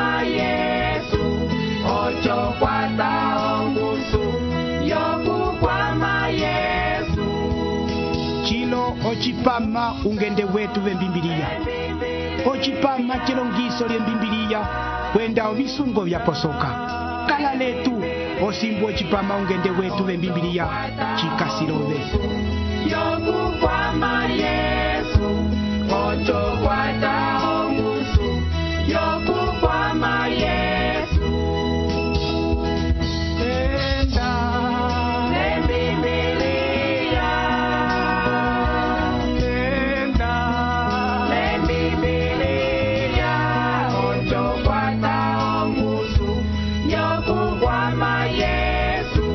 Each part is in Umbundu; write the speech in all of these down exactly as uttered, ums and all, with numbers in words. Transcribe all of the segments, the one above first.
kwama Yesu, ocho kwata ongusu, yoku kwama Yesu. Chilo ochipama ungende wetu wembimbilia. Ochipama chilongiso lyembimbilia, kwenda ovisungo vya posoka. Kala letu, osimbu ochipama ungende wetu wembimbilia, chikasilove. Yoku kwama Yesu, ocho kwata ongusu, yoku kwama Yesu. Enda Lembibilia, enda lembibilia, ocho kwata ongusu, yoku kwama Yesu,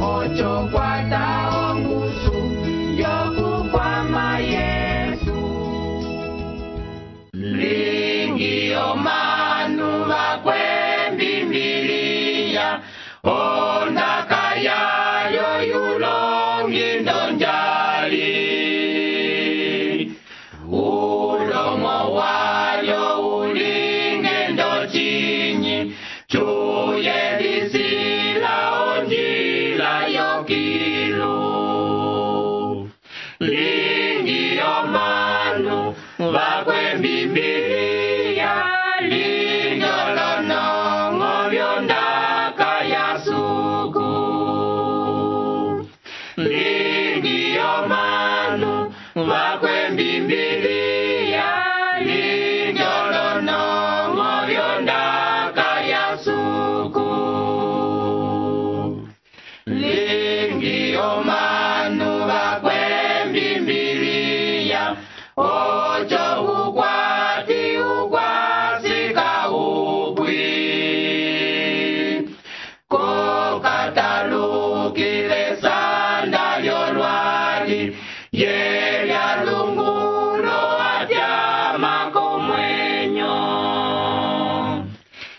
ocho kwata ongusu, yoku kwama Yesu. Lingi omanu bakwembimbilia, ondaka yayo yulongi ndonjali. Ulomo wayo ulinge ndochinyi, chuye lisila onjila yokilu. Lingi omanu bakwembimbilia, linyolonongo byondaka yasuku. Lingi omanu bakwembimbilia, linyolonongo byondaka yasuku. Lingi omanu bakwembimbilia, ocho ukwati ukwasika upwi. Kokatalukile sanda lyolwali, yelya lungulo atyama komwenyo.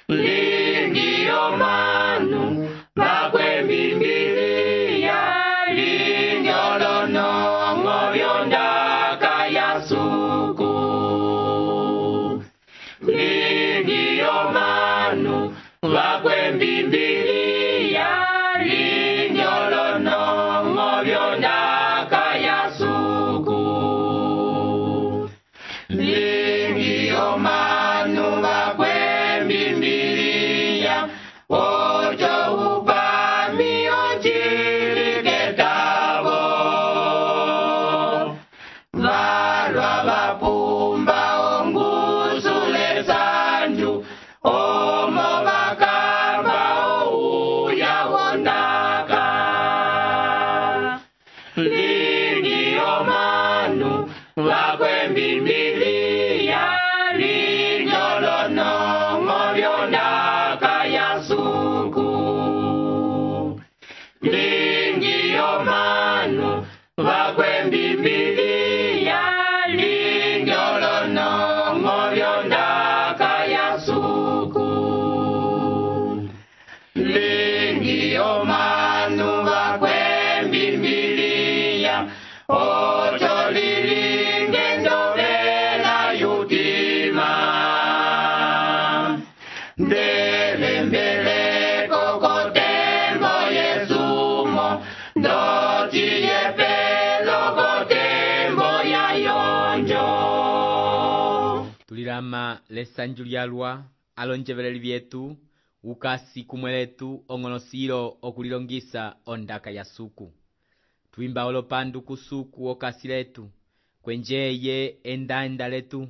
Lingi omanu bakwembimbilia, linyolonongo byondaka yasuku. Lingi omanu bakwembimbilia, linyolonongo byondaka yasuku. Lingi omanu bakwembimbilia, ocho upami ochiliketabo. Valwa vapumba ongusule sanju, omo bakamba ouya wondaka. Lingi omanu bakwembimbilia, linyolonongo byondaka yasuku. Lingi omanu bakwembimbilia, linyolonongo byondaka yasuku. Lingi omanu bakwembimbilia, ocho lilinge ndovela yutima. Ndelembeleko kotembo yesumo, ndochiye pelo kotembo yayonjo. Tulilama lesanju lyalwa alonjeveleli vyetu ukasi kumweletu ong'onosilo okulilongisa ondaka ya suku. Twimba olopandu kusuku okasi letu, kwenjeye enda-enda letu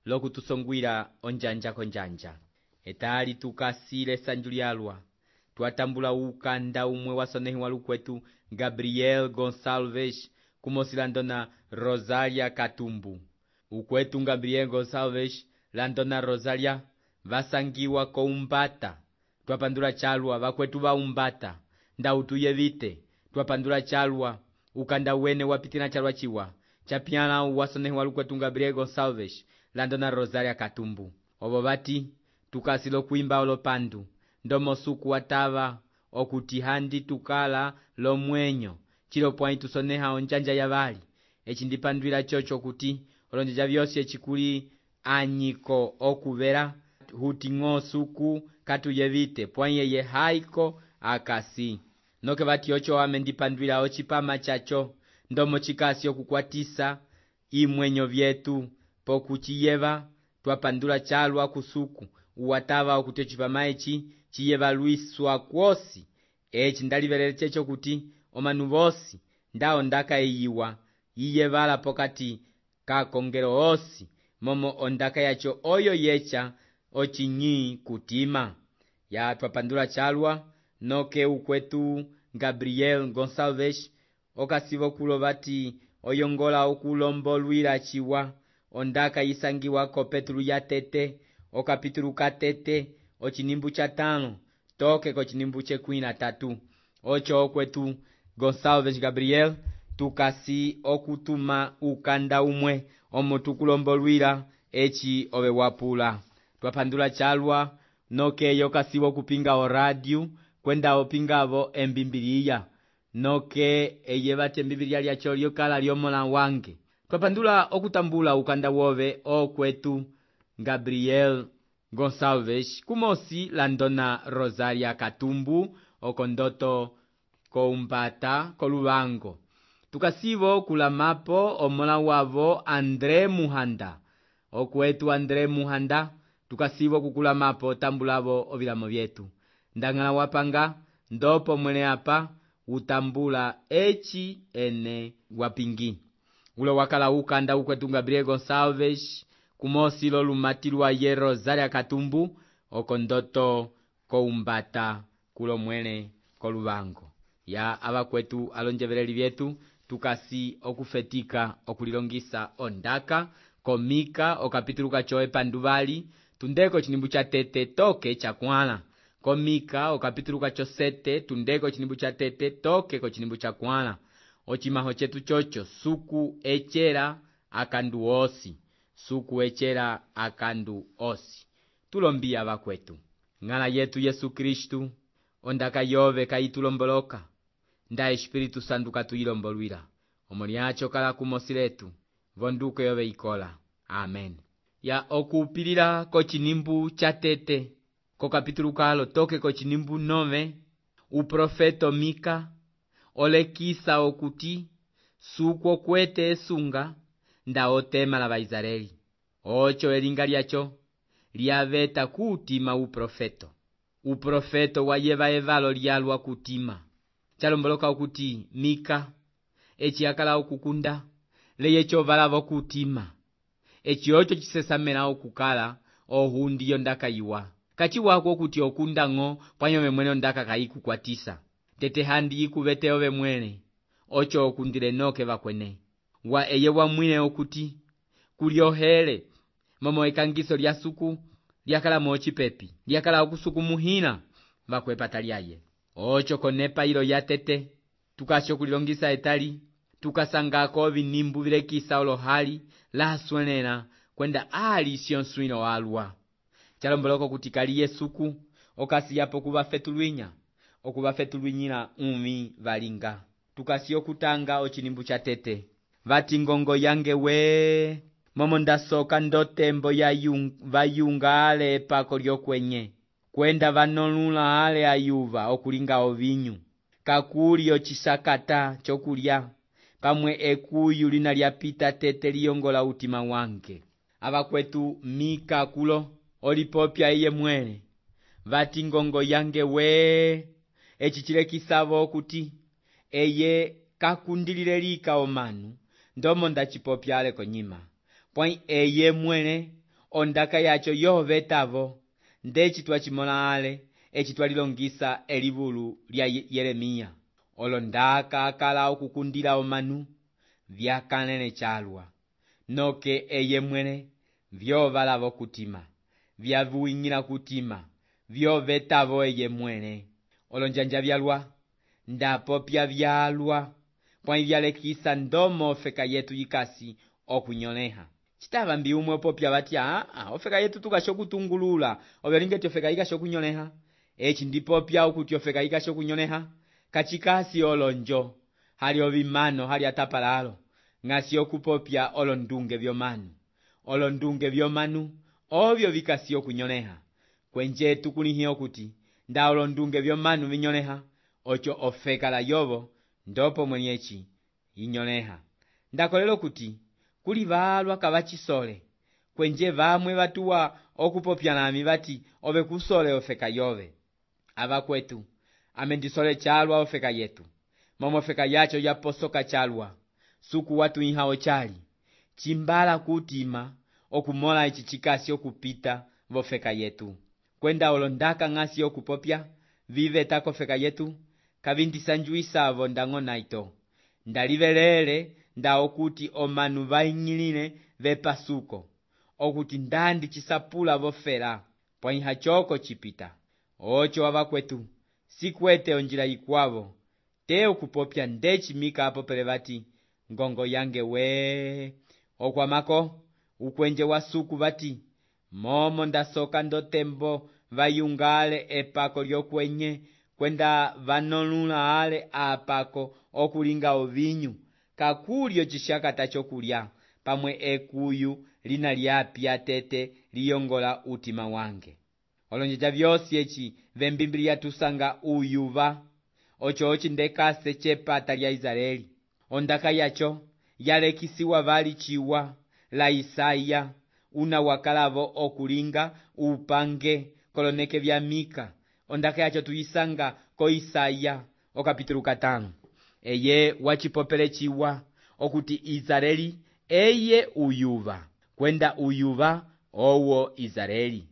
lokutusongwila onjanja konjanja. Etali tukasi lesanju lyalwa, twatambula ukanda umwe wasonehi walukwetu Gabriel Gonçalves kumosilandona Rosalia Katumbu. Ukwetu Gabriel Gonçalves landona Rosalia vasangiwa ko umbata. Twapandula chalwa vakwetu va umbata, ndautuye vite. Twapandula chalwa ukanda wene wapitina chalwa chiwa chapiana wasonehi walukwetu Gabriel Gonçalves landona Rosalia Katumbu. Obo bati tukasilo kuimba olopandu ndomo suku watava okutihandi tukala lo mwenyo chilo pwani tusoneha onjanja yavali. Echindipandwila chocho kuti olonjeja vyose chikuli anyiko okuvera huting'o suku katuyevite pwãyi eye haiko akasi. Noke vati ocho ame ndipandwila ocipama chacho ndomo chikasi okukwatisa imwenyo vyetu pokuchiyeva twapandula chalwa kusuku uwatava okuti ocipama eci chiyeva lwiswa kwosi. Eci ndalivelele checho kuti omanu vosi ndawo ndaka iyiwa yiyevala pokati kakongelo osi momo ondaka yacho oyo yecha ochinyi kutima. Ya twapandula chalwa noke ukwetu Gabriel Gonçalves okasivo kulo vati oyongola okulombolwila chiwa ondaka yisangiwa ko Petru ya tete okapitulu ka tete ochinimbu cha tano toke ko chinimbu chekwi na tatu. Ocho okwetu Gonçalves Gabriel tukasi okutuma ukanda umwe omo tukulombolwila eci ove wapula. Twapandula chalwa noke yokasivo kupinga o radio kwenda opingavo embimbiliya noke eye vati embimbiliya lyacho lyokala lyomola wange. Twapandula okutambula ukanda wove okwetu Gabriel Gonçalves kumosi landona Rosaria Katumbu okondoto koumbata koluvango. Tukasivo kulamapo omola wavo André Muhanda okwetu André Muhanda tukasivo kukulamapo tambulavo ovilamo vyetu. Ndangala wapanga ndopo mwene apa utambula eci ene wapingi. Ulo wakala ukanda ukwetu Gabriel Gonçalves kumosi lo lumatilwa ye Rosaria Katumbu okondoto koumbata kulo mwene koluvango. Ya ava kwetu alonjeveleli vyetu tukasi okufetika okulilongisa ondaka komika okapitulu kacho epanduvali tundeko chinimbu cha tete toke chakwala. Komika okapitulu kacho sete tundeko chinimbu cha tete toke ko chinimbu cha kwala. Ochimaho chetu chocho suku echera akandu osi. Suku echera akandu osi. Tulombia ava kwetu. Ngala yetu Yesu Kristu ondaka yove kaitulomboloka. Nda Espiritu Santu katuyilombolwila. Omoni acho kala kumosi letu. Vonduko yove ikola. Amen. Ya okupilila ko chinimbu cha tete. Ko kapitulu kalo toke ko chinimbu nove. Uprofeto Mika. Olekisa okuti. Suku okwete esunga. Nda otema la Baisraeli. Ocho elinga lyacho. Liaveta kutima uprofeto. Uprofeto wayeva evalo lyalwa kutima. Chalomboloka okuti Mika eci akala okukunda leye chovalavo kutima. Eci ocho chisesamela okukala ohundi yondaka iwa. Kachi wako okuti okunda ngo pwanyome mwene ondaka kaikukwatisa. Tete handi yikuvete ove mwene. Ocho okundile noke vakwene. Wa eye wa mwine okuti kuliohele momo ekangiso lya suku lyakala mochi pepi. Lyakala okusuku muhina vakwepata lyaye. Ocho konepa ilo ya tete tukasho kulilongisa etali tukasangako vinimbu vilekisa olohali la swenena kwenda ali sionsuino alwa. Chalomboloko kutikali yesuku okasi yapo kuvafetulwinya okuvafetulwinyila umi valinga. Tukasi okutanga ochinimbu cha tete vati ngongo yange we momo ndasoka ndotembo ya yung, vayunga ale epako lyokwenye kwenda vanolula ale ayuva okulinga ovinyu kakuli ochisakata chokulya pamwe ekuyu lina lyapita tete liyongola utima wange. Ava kwetu Mika kulo olipopya iye mwene vati ngongo yange we echichilekisavo okuti eye kakundilile lika omanu ndomo ndachipopya ale konyima pwai eye mwene ondaka yacho yovetavo ndechi twachimola ale echi twalilongisa elivulu lya Yeremia. Olondaka akala okukundila omanu vyakanene chalwa noke eye mwene vyovalavo kutima vyavuingila kutima vyovetavo eye mwene. Olonjanja vyalwa ndapopya vyalwa pwai vyalekisa ndomo ofeka yetu yikasi okunyoleha. Chitava mbi umwe popya vati ah ofeka yetu tukasho kutungulula ovelingeti ofeka yikasho kunyoleha. Echi ndipopya okuti ofeka yikasho kunyoleha kachikasi olonjo hali ovimano hali atapalalo ngasi okupopya olondunge vyomanu. Olondunge vyomanu ovyo vikasi okunyoleha, kwenje tukulihie okuti nda olondunge vyomanu vinyoleha, ocho ofeka la yovo ndopo mwenyeci inyoleha. Ndakolela okuti kuli valwa kavachisole, kwenje vamwe vatuwa okupopya nami vati ove kusole ofeka yove. Ava kwetu amendisole chalwa ofeka yetu, momo ofeka yacho yaposoka chalwa, suku watu inha ochali chimbala kutima okumola ichi chikasi okupita vofeka yetu. Kwenda olondaka ngasi okupopya vive tako feka yetu kavindisanjuisa avo ndango naito. Ndalivelele nda okuti omanu vainyilile vepasuko, okuti ndandi chisapula vofela pwa inha choko chipita. Ocho ava kwetu sikwete onjila ikwavo te okupopya ndechi mika apo pelevati ngongo yange we. Okwamako ukwenje wa suku vati momo ndasoka ndotembo vayungale epako lyokwenye kwenda vanolula ale apako okulinga ovinyu kakulyo chishakata chokulya pamwe ekuyu lina lyapya tete liyongola utima wange. Olonjeja vyosi echi vembimbili tusanga uyuva ocho ochi ndekase chepata lya Israeli. Ondaka yacho yalekisiwa vali chiwa la Isaya una wakalavo okulinga upange koloneke vya Mika. Ondaka yacho tuyisanga ko Isaya okapitulu katano. Eye wachipopele chiwa okuti Israeli eye uyuva, kwenda uyuva owo Israeli.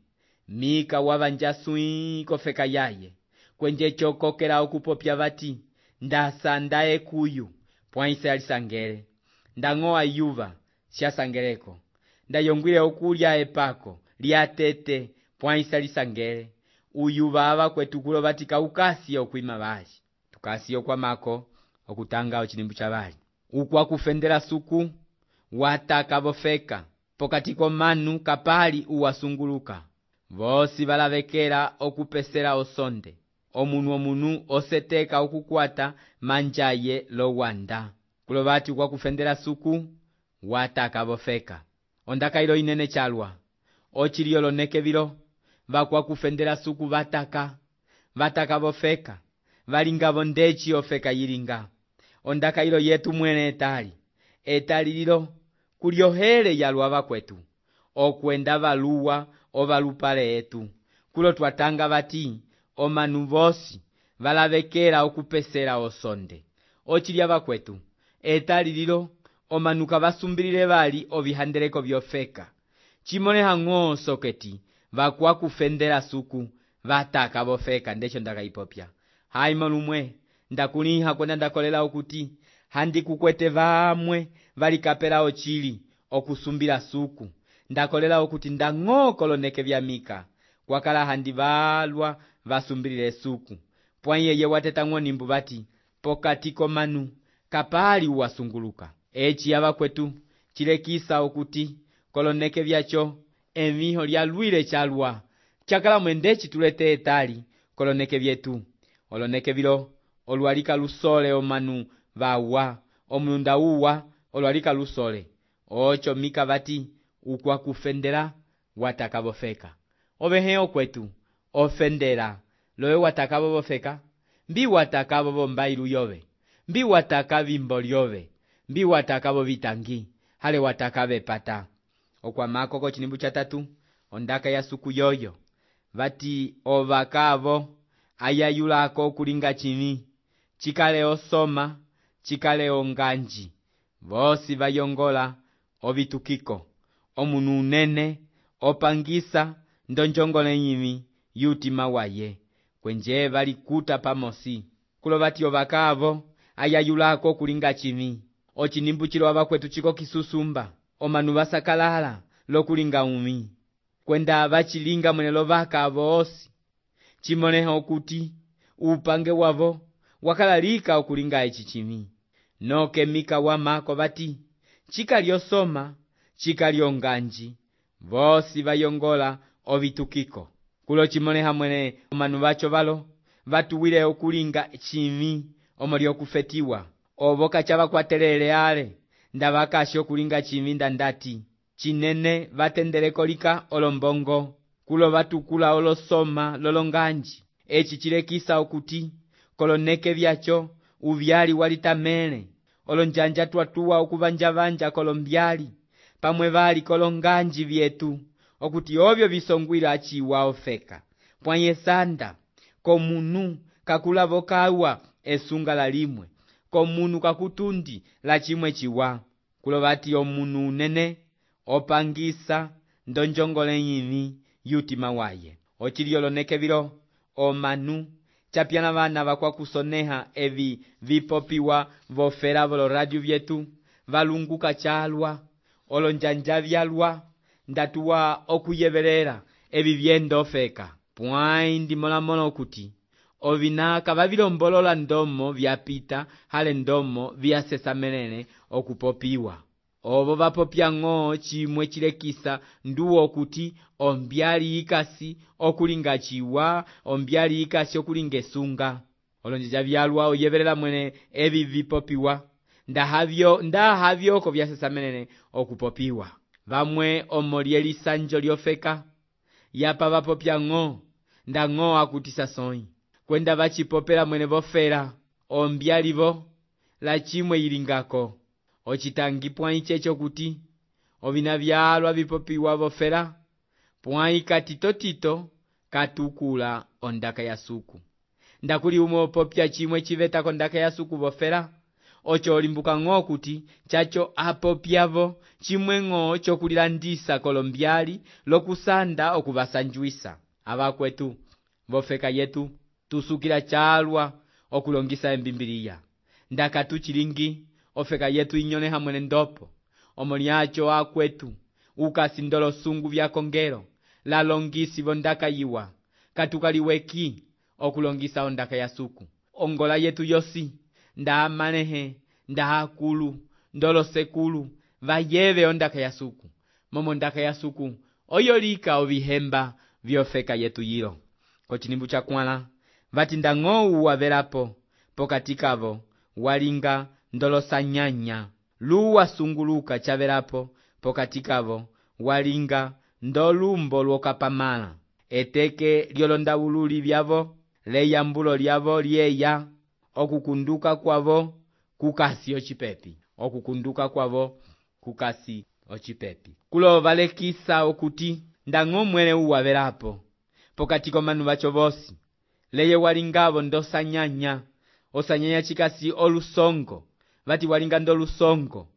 Mika wavanjasui kofeka yaye, kwenje chokokela okupopya vati ndasa ndae kuyu pwa Israeli sangere. Ndangoa yuva siya sangereko, ndayongwile okulya epako lya tete pwa Israeli sangere. Uyuva ava kwetu kulo vati kaukasi okwima vali. Tukasi okwamako okutanga ochilimbu cha vali. Ukwa kufendela suku wataka vofeka pokatiko manu kapali uwasunguluka. Vosi valavekela okupesela osonde. Omunu omunu oseteka okukwata manjaye lo wanda. Kulo vati ukwa kufendela suku wataka vofeka. Ondaka ilo inene chalwa ochiliyo loneke vilo vakwa kufendela suku vataka vataka vofeka valinga vondechi ofeka yilinga. Ondaka ilo yetu mwene etali etali lilo kuliohele yalwa vakwetu okwenda valuwa ovalupale etu. Kulo twatanga vati omanu vosi valavekela okupesela osonde ochilya vakwetu etali lilo omanu kavasumbilile vali ovihandeleko vyofeka. Chimoleha ng'o soketi vakwa kufendela suku vataka vofeka ndecho ndakaipopya. Haimo lumwe ndakuliha kwenda ndakolela okuti handi kukwete vamwe valikapela ochili okusumbila suku. Ndakolela okuti ndang'o koloneke vya Mika kwakala handi valwa vasumbilile suku. Pwa yeye wateta ng'onimbu vati pokatiko manu kapali uwasunguluka. Echi yava kwetu chilekisa okuti koloneke vyacho emiho lya lwile chalwa chakala mwendechi tulete etali koloneke vyetu. Oloneke vilo olwalika lusole omanu vawa omunda uwa olwalika lusole. Ocho Mika vati ukwa kufendela wataka vofeka. Oveheo kwetu ofendela loe wataka vofeka. Mbi wataka vombailu yove, mbi wataka vimboli yove, mbi wataka vovitangi, hale wataka vepata. Okwamako ko chilimbu cha tatu ondaka ya suku yoyo vati ovakavo ayayulako kulinga chini chikale osoma chikale onganji. Vosi vayongola ovitukiko omunu unene opangisa ndonjongole nyimi yutima waye kwenje valikuta pamosi. Kulo vati ovakavo ayayulako kulinga chini ochinimbu chilo ava kwetu chiko kisusumba omanu vasakalala lokulinga umi kwenda vachilinga mwenelo vakavo osi. Chimoleha okuti upange wavo wakalalika okulinga ichi chimi. Noke Mika wamako vati chikali osoma chikali onganji vosi vayongola ovitukiko. Kulo chimoleha mwene omanu vacho valo vatuwile okulinga chimi omoli okufetiwa ovoka chava kwatelele ale ndavakashi okulinga chimi ndandati Chinene vatendeleko lika olombongo, kulo vatukula olosoma lolonganji. Eci chilekisa okuti, koloneke vyacho, uvyali walitamele, olonjanja tuatua okuvanjavanja kolombyali, pamwe vali kolonganji vyetu, okuti ovyo visongwila achiwa ofeka. Pwanye sanda, komunu kakulavo kawa esunga la limwe, komunu kakutundi la chimwe chiwa. Kulo vati omunu unene, opangisa, ndonjongole nyini, yutima waye. Ochilioloneke vilo, omanu, chapiana vana vakwa kusoneha evi vipopiwa vofera volo radio vyetu, valunguka chalwa, olonjanja vyalwa, ndatuwa okuyevelera evi vyendo ofeka. Pwai ndi mola mola okuti, ovinaka vavilombolola ndomo vyapita hale ndomo vyasesamelene okupopiwa. Ovo vapopya ng'o chimwe chilekisa nduwo okuti ombyali ikasi okulinga chiwa, ombyali ikasi okulinga esunga. Olonjanja vyalwa oyevelela mwene evi vipopiwa, ndahavyo ndahavyo ko vyasesamelene okupopiwa. Vamwe omolieli sanjo liofeka, yapa vapopya ng'o, nda ng'o akutisa soi. Kwenda vachipopela mwene vofera, ombyali vo, la chimwe ilingako. Ochitangi pwai checho kuti, ovina vyalwa vipopiwa vofera, pwai katito tito, katukula ondaka ya suku. Ndakuli umo popya chimwe chiveta kondaka ya suku vofera, ocho olimbuka ng'o kuti, chacho apopyavo, chimwe ng'o chokulilandisa kolombyali, lokusanda okuvasanjuisa. Ava kwetu, vofeka yetu, tusukila chalwa, okulongisa embimbiliya. Ndaka tuchilingi, ofeka yetu inyone hamwene ndopo, omoliacho akwetu, ukasindolo sungu vya kongero, la longisi vondaka yiwa, katukaliweki, okulongisa ondaka ya suku. Ongola yetu yosi, nda manehe, nda akulu, ndolo sekulu, vayeve ondaka ya suku. Momo ondaka ya suku, oyolika ovihemba vyofeka yetu yilo. Kochinimbu cha kwala, vati nda ng'o uwavelapo, pokatikavo, walinga, ndolo sanyanya, luwa sunguluka chavelapo, pokatikavo, walinga, ndolumbo lwokapamala. Eteke liolonda ululi vyavo, leyambulo lyavo lieya, okukunduka kwavo, kukasi ochipepi. Okukunduka kwavo, kukasi ochipepi. Kulo valekisa okuti, nda ng'o mwene uwavelapo, pokatiko manu vacho vosi, leye walingavo ndo sanyanya, osanyanya chikasi olusongo, vati walinga ndo lusongo,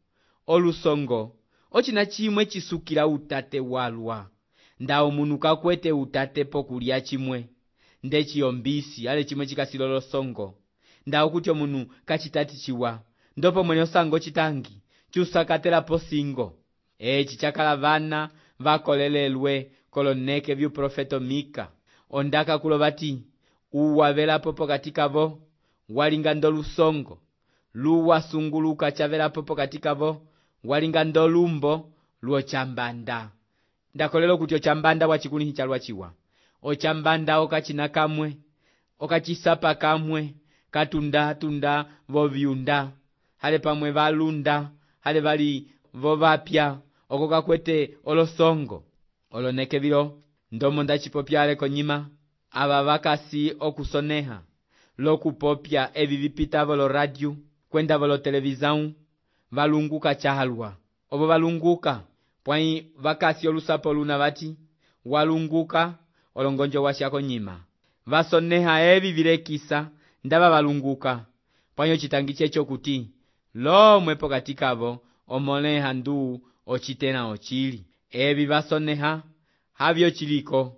olusongo, ochina chimwe chisukila utate walwa, nda omunu kakwete utate pokulia chimwe, nde chiombisi, ale chimwe chikasi lolosongo, nda okuti omunu kachitati chiwa, ndopo mwene osango chitangi, chusakatela posingo. Echi chakala vana, vakolelelwe, koloneke vyu profeto Mika, ondaka kulo vati, uwavelapo pokatikavo, walinga ndo lusongo, luwa sunguluka chavelapo pokatikavo, walinga ndo lumbo, luo chambanda. Ndakolelo kuti ochambanda wachikuni chalwa chiwa. Ochambanda okachina kamwe, okachisapa kamwe, katunda tunda vovyunda, hale pamwe valunda, hale vali vovapya, okoka kwete olosongo. Oloneke vilo, ndomo ndachipopyale konyima, ava vakasi okusoneha, lokupopya evi vipita volo radio, kwenda volo televizão, valunguka chalwa. Ovo valunguka, pwai vakasi olusapo luna vati, walunguka, olongonjo washako nyima. Vasoneha evi vilekisa, ndava valunguka, pwai ochitangi checho kuti, lo mwepo katikavo, omoneha ndu, ochitena ochili. Evi vasoneha, havyo chiliko,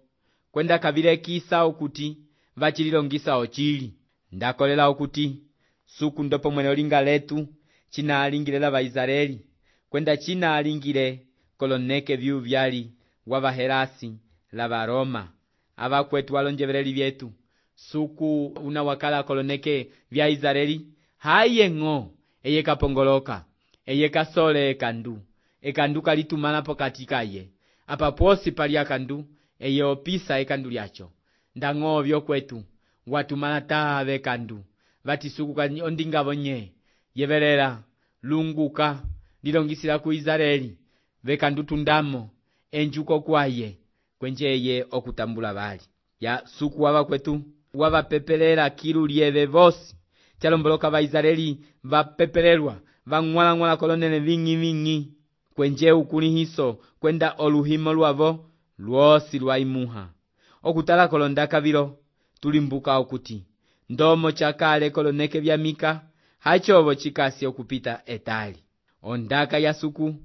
kwenda kavilekisa okuti, vachililongisa ochili. Ndakolela okuti, suku ndopo mwene olinga letu, china alingilela va Israeli, kwenda china alingile, koloneke vyu vyali, wavaherasi, lava Roma, ava kwetu walonjevereli vyetu, suku unawakala koloneke vya Israeli, haye ng'o, eye kapongoloka, eye kasole ekandu, ekandu kalitumana pokatika ye, apa posi pali akandu, eye opisa ekandu lyacho, nda ng'o vyo kwetu, watumana tave kandu, vati suku ondinga vonye, yevelela, lunguka, lilongisila ku Israeli, vekandutundamo enjuko kwaye kwenjeye okutambula bali ya suku wava kwetu wavapepelela kilu lieve vosi chalomboloka Vaisraeli vapepelelwa vang'wala-ng'wala kolonene ving'i-ving'i kwenje ukulihiso kwenda oluhimo lwavo lwosi lwaimuha okutala kolondaka vilo tulimbuka okuti ndomo chakale koloneke vya Mika hachovo chikasi okupita etali ondaka ya suku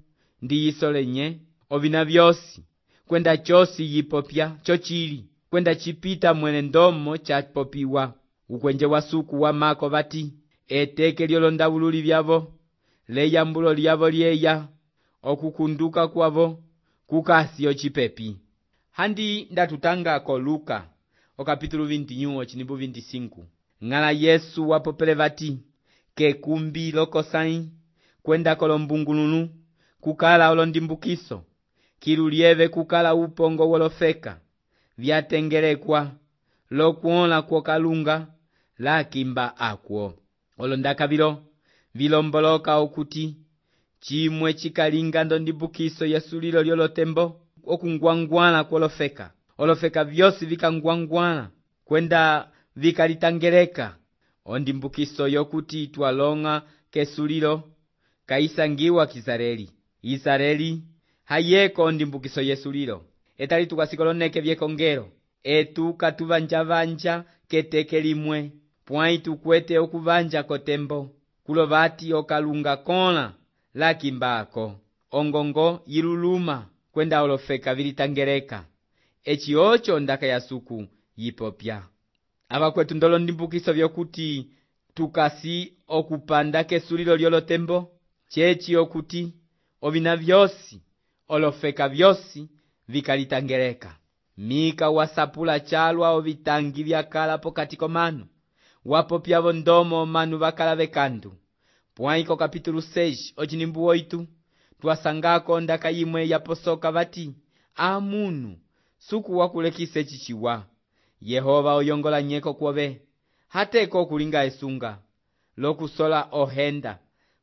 ndiyiso lenye ovina vyosi kwenda chosi yipopya chochili kwenda chipita mwene ndomo chapopiwa ukwenje wa suku wa mako vati eteke lyolondavululi vyavo leyambulo lyavo lyeya okukunduka kwavo kukasi ochipepi handi ndatutanga ko Luka okapitulu vintinyuo chinimbu vinticinco ng'ala Yesu wapopele vati kekumbi lokosai kwenda kolombungulunu kukala olondimbukiso kilu lieve kukala upongo wolofeka vyatengelekwa lokuola kwokalunga lakimba akwo olondaka vilo vilomboloka okuti chimwe chikalinga ndondimbukiso yesulilo lyolotembo okungwangwala kwolofeka olofeka vyosi vikangwangwala kwenda vikalitangeleka ondimbukiso yokuti twalonga kesulilo kaisangiwa Kisareli Isareli hayeko ondimbukiso yesulilo etali tukasikoloneke vyekongero etu katuvanja-vanja keteke limwe pwai tukwete okuvanja kotembo kulovati okalunga kola lakimbako ongongo yiluluma kwenda olofeka vilitangeleka echi ocho ndaka ya suku yipopya ava kwetu ndolo ndimbukiso vyokuti tukasi okupanda kesulilo lyolotembo chechi okuti ovina vyosi olofeka vyosi vikalitangeleka Mika wasapula chalwa ovitangi vyakala pokati komanu wapopyavo ndomo manu vakala vekandu pwaiko kapitulu seis ochinimbu oitu twasangako ndaka yimwe yaposoka vati amunu suku wakulekise chichiwa Yehova oyongola nyeko kwove hateko kulinga esunga lokusola ohenda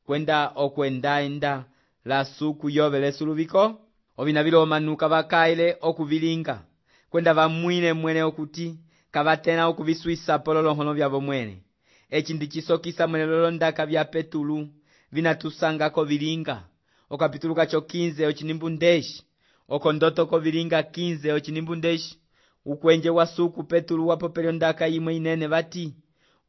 kwenda okwendaenda la suku yove lesuluviko ovina vilo omanuka vakaile okuvilinga kwenda vamwine mwene okuti kavatena okuviswisa pololohono vyavo mwene echi ndichisokisa mwene lolondaka vya Petulu vinatusangako vilinga okapitulu kacho quinze ochinimbu ndeshi okondoto ko vilinga quinze ochinimbu ndeshi ukwenje wa suku Petulu wapopelyo ndaka yimwe inene vati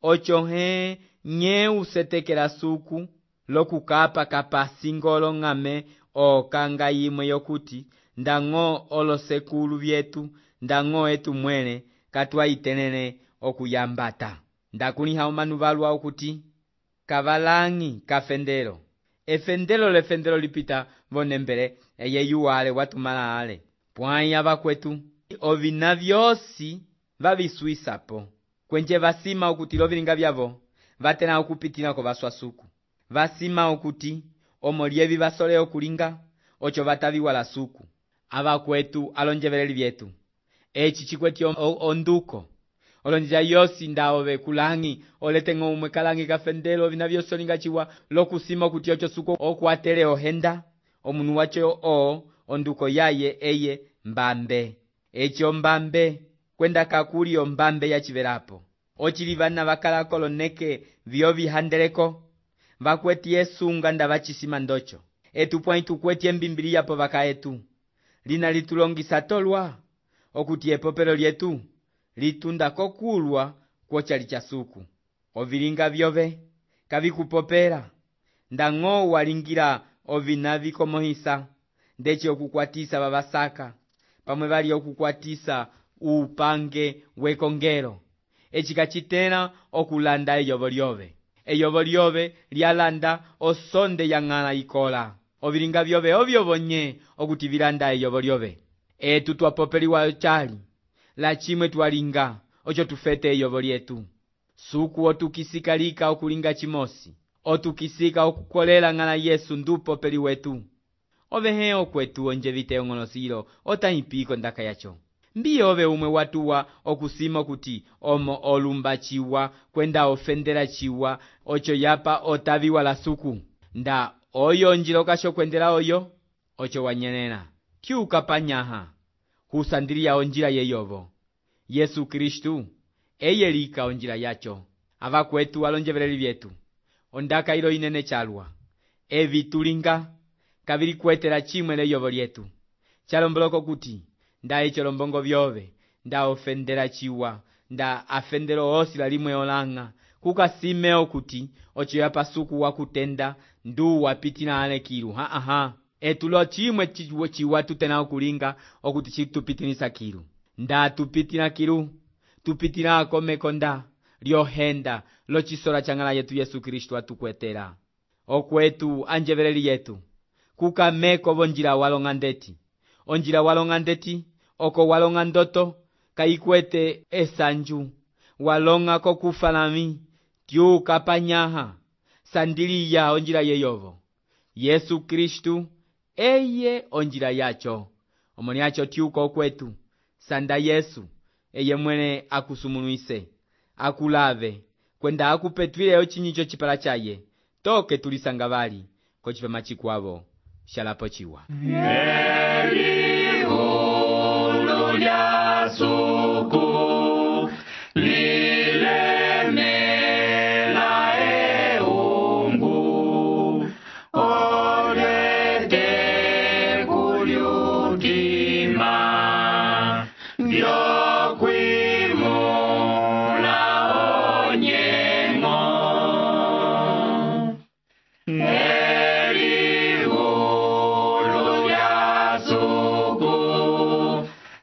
ocho he nye usetekela suku lokukapa kapasingolo ng'ame okanga yimwe yokuti ndango olosekulu vyetu ndango etu mwene katwaitenene okuyambata ndakuliha omanu valwa okuti kavalangi kafendelo efendelo lefendelo lipita vonembele eyeyuwale watumala ale pwai ava kwetu ovina vyosi vaviswisapo kwenje vasima okuti lovilinga vyavo vatena okupitila ko vaswa suku vasima okuti omo lievi vasole okulinga ocho vataviwala suku ava kwetu alonjeveleli vyetu echi chikweti onduko olonjila yosi ndaove kulangi oletengo umwe kalangi kafendelo vina vyosi olinga chiwa lokusima okuti ocho suku okuatele ohenda omunu wacho o onduko yaye eye mbambe echo mbambe kwenda kakuli ombambe yachivelapo ochili vana vakala koloneke vyo vihandeleko vakweti esunga nda vachisima ndocho etu pwai tukweti embimbiliya po vaka etu lina litulongisa tolwa okuti epopelo lyetu litunda kokulwa kwochali cha suku ovilinga vyove kavikupopela ndang'o walingira ovina vikomohisa ndechi okukwatisa vavasaka pamwe vali okukwatisa upange wekongelo echi kachitena okulanda eyovo lyove eyovo lyove lyalanda osonde ya ng'ala ikola ovilinga vyove ovyo vonye okuti vilanda eyovo lyove etu twapopeliwa chali la chimwe twalinga ocho tufete eyovo lyetu suku otukisikalika okulinga chimosi otukisika okukolela ng'ala Yesu ndupopeli wetu ovehe okwetu onje vite ong'olosilo otahipiko ndaka yacho mbi ove umwe watuwa okusima kuti omo olumba chiwa kwenda ofendela chiwa ocho yapa otaviwa la suku nda oyo njilo kasho kwendela oyo ocho wanyelela tyuka panyaha husandiliya onjila yeyovo. Yesu Kristu eye lika onjila yacho. Avakwetu walonjeveleli vyetu ondaka ilo inene chalwa evi tulinga kavili kuetela chimwe leyovo lyetu chalomboloko kuti nda echo lombongo vyove nda ofendela chiwa nda afendelo osi la limwe olanga kukasimeo kuti ocho ya pasuku wakutenda ndu wapitina ale kilu ha aha etulo chimwe chiwa, chiwa tutena okulinga okuti chitupitinisa kilu nda tupitina kilu tupitina komekonda lyohenda lochisola changala yetu Yesu Kristu atukwetela okwetu anjeveleli yetu kukameko vonjila walonga ndeti onjila walonga ndeti oko walonga ndoto kaikwete esanju walonga kokufalami tyuka panyaha sandiliya onjila yeyovo. Yesu Kristu eye onjila yacho omoni yacho tyuka okwetu sanda Yesu eye mwene akusumulwise akulave kwenda akupetwile ochinyicho chipala chaye toke tulisanga vali kochipema chikwavo shalapo chiwa. Eliulu lya suku lilemela eungu olete kulyutima vyokwimula onyengo. Eliulu lya suku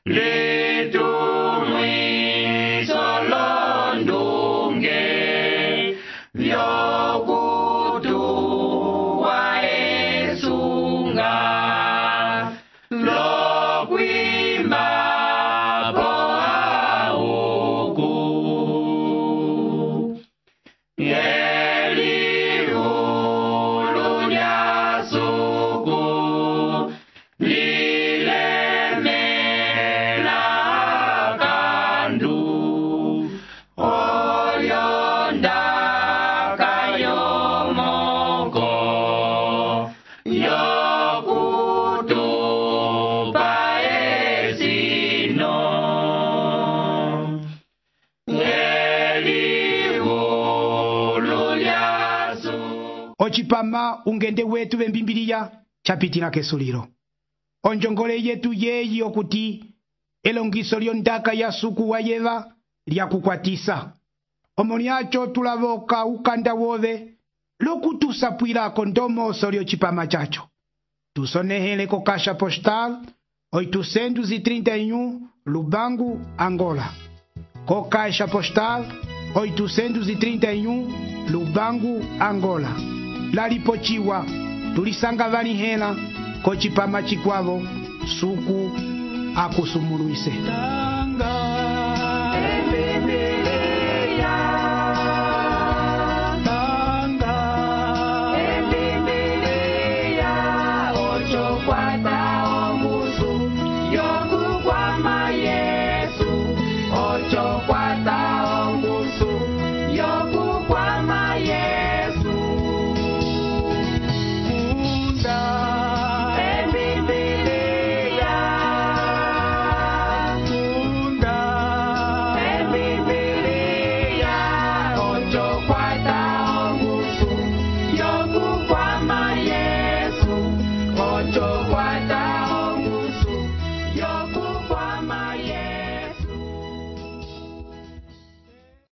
litumwiso londunge vyokutuwa esunga lokwimba po auku. Eliulu lya suku lilemela kandu oyondaka yomoko yokutupa esino. Eliulu lya suku ocipama ungende wetu vembimbiliya chapitila kesulilo onjongole yetu yeyi okuti elongiso lyondaka ya suku wayeva lyakukwatisa omoni acho tulavoka ukanda wove lokutusapwilako ndomoso lyocipama chacho tusonehele ko kasha postal oitocentos e trinta e um Lubango, Angola. Co caixa postal oitocentos e trinta e um Lubango, Angola. Lalipochiwa tulisanga vani hela kochipama chikwavo suku akusumuluise. Yo